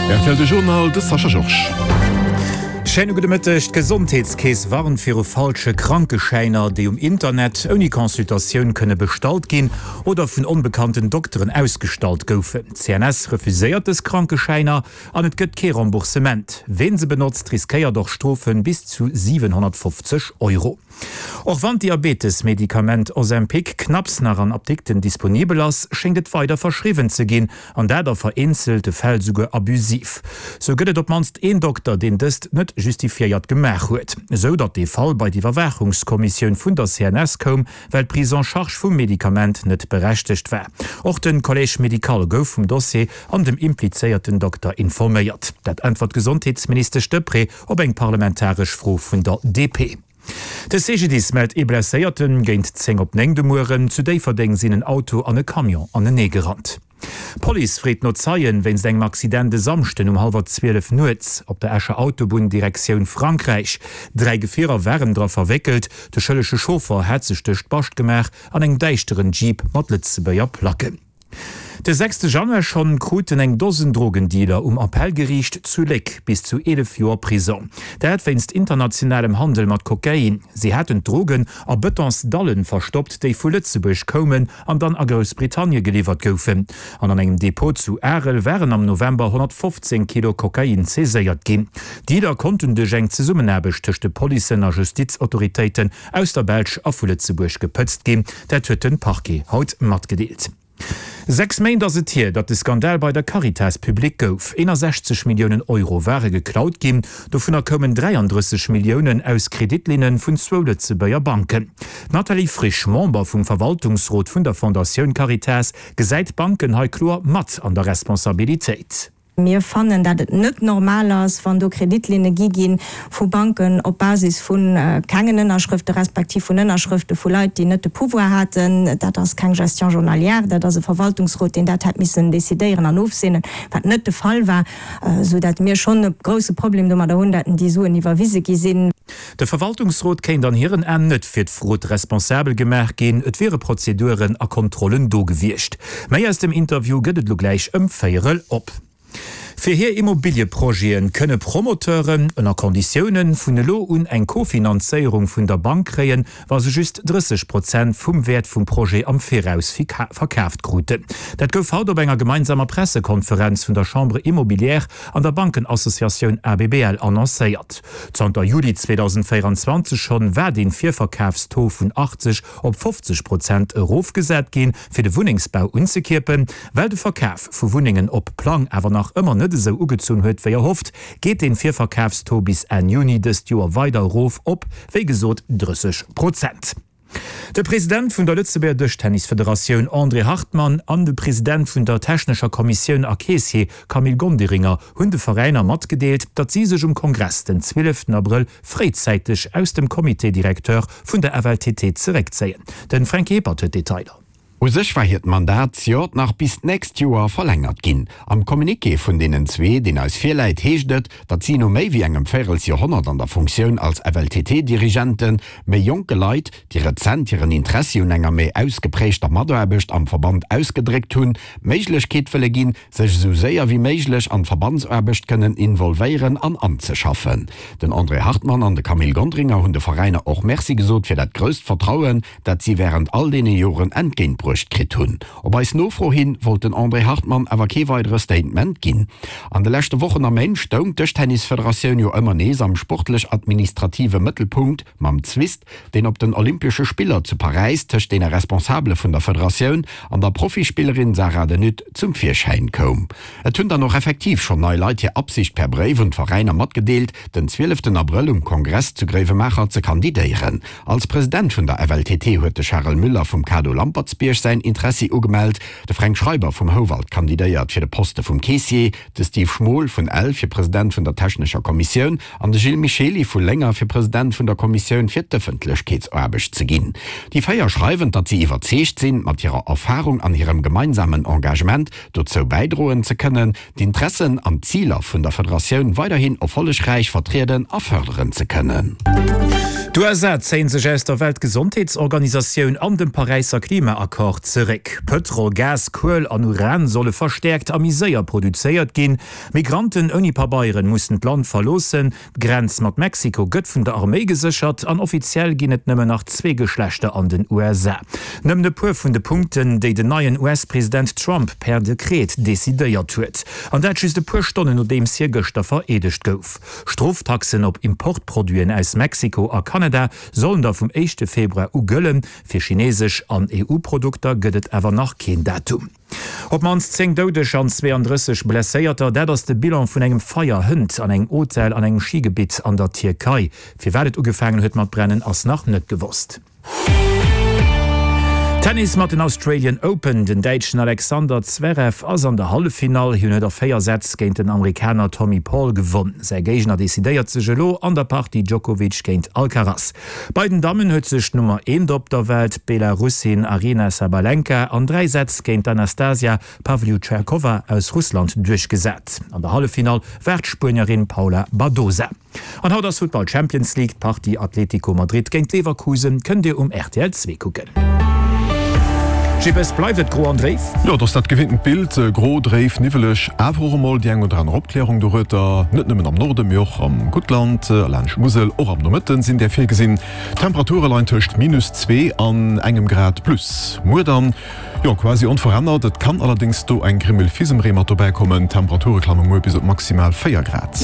Rtl De Journal, de Sascha Georges. Schéine gudde Mëtteg. D'Gesondheetskeess warnt viru falsche Krankeschäiner, déi um Internet ouni Consultatioun kënne bestallt ginn oder vun onbekannten Dokteren ausgestallt goufen. D'CNS refuséiert dës Krankeschäiner an et gëtt kee Remboursement. Ween se benotzt, riskéiert och Strofe bis zu 750 Euro. Och wann d'Diabetes-Medikament Ozempic knapps nach an Apdikten disponibel ass, schéngt et weider verschriwwen ze ginn, an dat a vereenzelte Fäll souguer abusiv. Sou gëtt et op d'mannst een Dokter, deen dëst net justifiéiert gemaach huet, esou datt dee Fall bei d'Iwwerwaachungskommissioun vun der CNS koum, well d'Prise en charge vum Medikament net berechtegt war. Och de Collège médical gouf vum Dossier an dem implizéierten Dokter informéiert. Dat äntwert d'Gesondheetsministesch Deprez op eng parlamentaresch Fro vun der DP. De CGDIS mellt ee Blesséierten. Géint 10 op 9 de Mueren zu Déifferdeng sinn en Auto an e Camion anenee gerannt. D'Police freet no Zeien wéinst engem Accident e Samschden um hallwer 12 nuets op der Escher Autobunn Direktioun Frankräich. 3 Gefierer waren dra verwéckelt. De schëllege Chauffer hat sech duerch d'Bascht gemaach an engem däischteren Jeep mat Lëtzebuerger Placken. De sechste Januar schonn kruten eng Dosen Drogendealer um Appellgeriicht zu Léck bis zu 11 Joer Prisong. Dat wéinst internationalem Handel mat Kokain. Si haten d'Drogen a Betonsdallen verstoppt, déi vu Lëtzebuerg koumen an dann a Groussbritannie geliwwert goufen. An an engem Depot zu Arel waren am November 115 Kilo Kokain saiséiert ginn. D'Dealer konnten duerch eng Zesummenaarbecht tëscht de Policen a Justizautoritéiten aus der Belsch a vu Lëtzebuerg gepëtzt ginn. Dat huet de Parquet haut matgedeelt. 6 Méint ass et hier, datt de Skandal bei der Caritas public gouf. 61 Milliounen Euro ware geklaut ginn, dovunner koumen 33 Milliounen aus Kreditlinne vun zwou Lëtzebuerger Banken. D'Nathalie Frisch, Member vum Verwaltungsrot vun der Fondatioun Caritas, gesäit d'Banken hei kloer mat an der Responsabilitéit. Mir fannen, dat et net normal ass, wann do Kreditlinne gi gi vu Banken op Basis vu kengen Ënnerschrëfte respektiv vun Ënnerschrëfte vu Leit, déi net de Pouvoir haten. Dat ass keng Gestion journalière, dat ass e Verwaltungsrot, deen dat hätt missen decidéieren an ofseenen, wat net de Fall war, esou dat mir schonn e grouse Problem domadder hunn, dat déi Suen iwwerwise gi sinn. De Verwaltungsrot kéint an hiren Aen net fir d'Frod responsabel gemaach ginn, et wiere Prozeduren a Kontrollen do gewiescht. Méi aus dem Interview gëtt et elo gläich ëm véierel op. Fir hir Immobilieprojete kënne Promoteuren, ënner Konditiounen, vun elo un eng Kofinanzéierung vun der Bank kréien, wa se just 30 Prozent vum Wäert vum Projet am Viraus verkaaft kruten. Dat gouf haut op enger gemeinsamer Pressekonferenz vun der Chambre Immobilière an der Bankenassociatioun ABBL annoncéiert. Zanter Juli 2024 schonn war dee Virverkafstaux vun 80 op 50 Prozent erofgesat ginn, fir de Wunnengsbau unzekierpen. Well de Verkaf vu Wunnengen op Plang awer nach ëmmer net esou ugezunn huet wéi erhofft, geet dee Virverkafstaux bis Enn Juni dëst Joer weider erof op, wéi gesot, 30 Prozent. De President vun der Lëtzebuerger Dëschtennisfederatioun André Hartmann an de President vun der technescher Kommissioun a Keessier Camille Gonderinger hunn de Veräiner matgedeelt, datt si sech um Kongress den 12 Abrëll fréizäiteg aus dem Comité directeur vun der FLTT zeréckzéien. De Fränk Ebert huet d'Detailer. U sech war hiert Mandat zejoert nach bis d'nächst Joer verlängert ginn. Am Communiqué vun deenen zwee, deen eis virläit, heescht et, datt si no méi wéi engem Véirelsjoerhonnert an der Funktioun als FLTT-Dirigenten, méi jonke Leit, déi rezent hiren Interessi un enger méi ausgeprägter Mataarbecht am Verband ausgedréckt hunn, d'Méiglechkeet wëlle ginn, sech esou séier wéi méiglech an d'Verbandsaarbecht kënnen involvéieren an anzeschaffen. Den André Hartmann an de Camille Gondringer hunn de Veräiner och Merci gesot fir dat grousst Vertrauen, dat si wärend all deene Joren entgéintbruecht kritt hunn. Op eis Nofro hin wollt den André Hartmann awer kee weidere Statement ginn. An de leschte Wochen a Méint stoung d'Dëschtennisfederatioun jo ëmmer nees am sportlech-administrative Mëttelpunkt mam Zwist, deen op den Olympesche Spiller zu Paräis tëscht deene Responsabele vun der Federatioun an der Profispillerin Sarah De Nutte zum Virschäin koum. Et hunn dann och effektiv schonn nei Leit hir Absicht per Bréif un d'Veräiner matgedeelt, den 12 Abrëll um Kongress zu Gréiwemaacher ze kandidéieren. Als President vun der FLTT huet de Charel Müller vum Kado Lampertsbierg säin Interessi ugemellt, de Fränk Schreiber vum Houwald kandidéiert fir de Poste vum Keessier, de Steve Schmol vun Ell fir President vun der technescher Kommissioun an de Gilles Michely vu Lénger fir President vun der Kommissioun fir d'Ëffentlechkeetsaarbecht ze ginn. Déi 4 schreiwen, datt si iwwerzeegt sinn, mat hirer Erfarung an hirem gemeinsamen Engagement dozou bäidroen ze kënnen, d'Intressen an d'Ziler vun der Federatioun weiderhin erfollegräich vertrieden a fërderen ze kënnen. D'USA zéien sech aus der Weltgesondheetsorganisatioun an dem Paräisser Klimaaccord zeréck. Pëtrol, Gas, Kuel an Uran solle verstäerkt a méi séier produzéiert ginn. Migranten ouni Pabeieren mussen d'Land verloossen. D'Grenz mat Mexiko gëtt vun der Arméi geséchert an offiziell ginn et nëmmen nach zwee Geschlechter an den USA. Nëmmen e puer vun de Punkten, déi den neien US-President Trump per Dekret decidéiert huet. An dat just e puer Stonnen nodeems hie gëschter vereedegt gouf. Stroftaxen op Importproduiten aus Mexiko a Kanada sollen da vum éischte Februar u gëllen. Fir chinesesch an EU-Produkter gëtt et awer nach keen Datum. Op d'mannst 10 Doudeg an 32 Blesséierter, dat ass de Bilan vun engem Feier hënt an engem Hotel an engem Schigebitt an der Tierkei. Firwat et ugefaangen huet mat brennen, ass nach net gewosst. Tennis mat den Australian Open, Den Däitschen Alexander Zverev ass an der Halleffinall. Hien huet a 4 Sätz géint den Amerikaner Tommy Paul gewonn. Säi Géigner decidéiert sech elo an der Partie Djokovic géint Alcaraz. Bei den Dammen huet sech d'Nummer eent op der Welt, d'Belarussin Aryna Sabalenka, an 3 Sätz géint d'Anastasia Pavlyuchenkova aus Russland duerchgesat. An der Halleffinall war d'Spuenierin Paula Badosa. An haut ass Futtball Champions League, d'Partie Atletico Madrid géint Leverkusen kënnt Dir um rtl 2 kucken. Jippes, bleift et gro an dréif? Jo, et ass dat gewinntent Bild, gro, dréif, niwweleg, awer och emol déi eng oder aner Opklärung dorueter. Net nëmmen am Norde, mee och am Guttland a laanscht d'Musel. Och am Nomëtten sinn där virgesinn. D'Temperature leien tëscht minus 2 an engem Grad plus. Muer dann, jo, quasi onverännert, et kann allerdéngs do eng Grimmel Fisemree mat dobäi kommen. D'Temperature klamme muer bis op maximal 4 Grad.